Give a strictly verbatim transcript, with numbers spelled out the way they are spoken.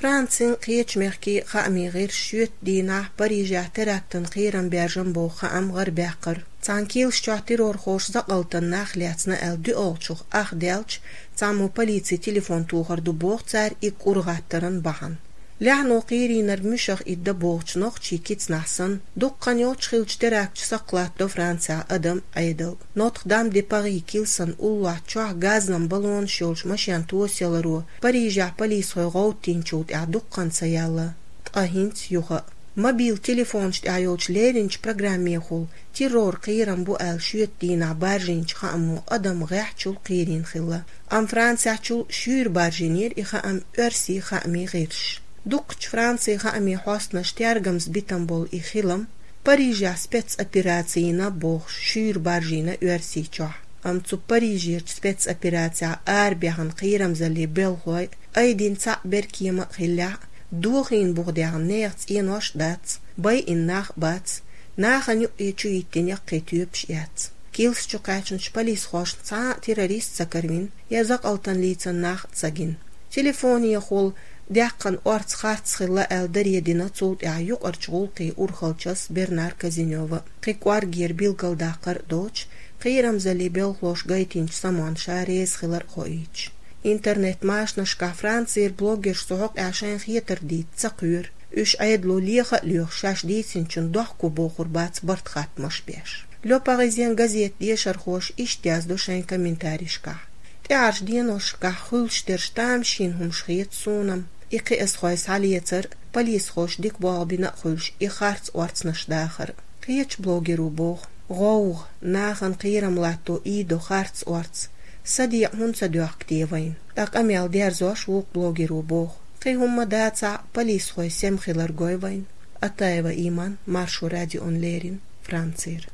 Францин кхечу мехкийн хаамийн гӀирсаша шоьтан дийнахь Парижехь терактан кхерам баьржина боху хаам гӀарабаьккхира. Цхьана килс чохь террорхоша закъалтана нах лецна аьлла дуьхьалчух ах даьлча, цхьаммо полицин телефон тухур ду боху цара и кӀур гӀаттаран бахьана. Лаьхьано кхерийнарг муьшах итт дан бохучу нохчийн кицнахь санна, дукха хан йоццуш хиллачу теракташа сакхалаттадо Францехь адам Ӏедал. Нотр-Дам-де-Пари килсан уллохь чохь газан баллонаш йолчу машен тосаяларо Парижехь полисхой гӀовттийначул тӀаьхьа дукха хан ца яьлла, ткъа хӀинца юха а. Мобил телефонаш тӀехь йолчу леринчу программехула террор кхерам бу аьлла шоьтан дийнахь баржийначу хааммо адам гӀеххьачул кхерийна хилла. Амма Францехьчул шуьйра баржийнера и хаам оьрсийн хаамийн гӀирсаша. Дукхачу Францин хаамийн хьостанаша тергамза битина болу и хилам, Парижехь спецопераци йина бохуш, шуьйра баржийна Оьрсийчохь. Амма цу Парижерчу спецоперацехь арабаьхна кхерамзаллин белхалой айдина цхьаъ беркема а хиллехь а, дохийна буха даьхна нехан цӀенош а дац, байина нах а бац, нахана юкъе чу йиттина яккхий тоьпаш а яц. Килс чу кхаьчначу полисхошна цхьа а террорист ца каравина, я закъалтана лийцина нах а ца гина. Телефонехула даьккхина орца харц хилла аьлла даре дина цул тӀаьхьа юкъарчу гӀуллакхийн урхаллчас Бернар Казинёва, кхин кӀоргера билгалдаккхар а доцуш, кхерамзаллин белхалоша гайтинчу самонша реза хилар а хоуьйтуш. Интернет-машанашкахь Францера блогерша цу хьокъехь шайна хетар дийца ца кхоьру. Уьш Ӏедало леха а лоьхуш, шаьш дийцинчунна дохко бохур бац барт-хаттамаш беш. Le Parisien газетан дешархоша иштта яздо шайн комментарийшкахь: «ТӀаьхьарчу деношкахь хуьлуш дерш тамашийна хӀумаш хета суна-м, и кхиазхой схьалецар а, полисхоша дика болх бина а хуьлуш, и харц орцанаш дахар а». Кхечу блогеро боху: «ГӀовгӀа, нахана кхерам латто ийдо харц орца. Садекъа хӀунда ца доьхку те вайна?» Ткъа къамел дерзош вукху блогеро боху: «Кхин хӀумма дацахь а, полисхой сема хилар гой вайна». Атаева Иман, Маршо радиона леррина, Францера.